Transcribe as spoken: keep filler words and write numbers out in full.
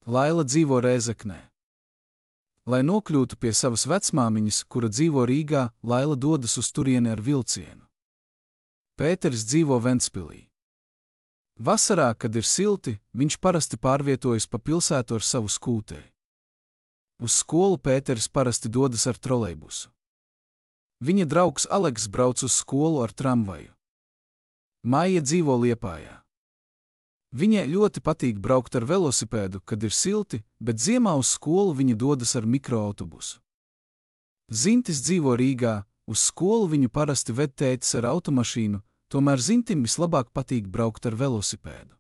Laila dzīvo Rēzeknē. Lai nokļūtu pie savas vecmāmiņas, kura dzīvo Rīgā, Laila dodas uz turieni ar vilcienu. Pēteris dzīvo Ventspilī. Vasarā, kad ir silti, viņš parasti pārvietojas pa pilsētu ar savu skūteri. Uz skolu Pēteris parasti dodas ar trolejbusu. Viņa draugs Aleks brauc uz skolu ar tramvaju. Maija dzīvo Liepājā. Viņai ļoti patīk braukt ar velosipēdu, kad ir silti, bet ziemā uz skolu viņa dodas ar mikroautobusu. Zintis dzīvo Rīgā, uz skolu viņu parasti ved tētis ar automašīnu, tomēr Zintim vislabāk patīk braukt ar velosipēdu.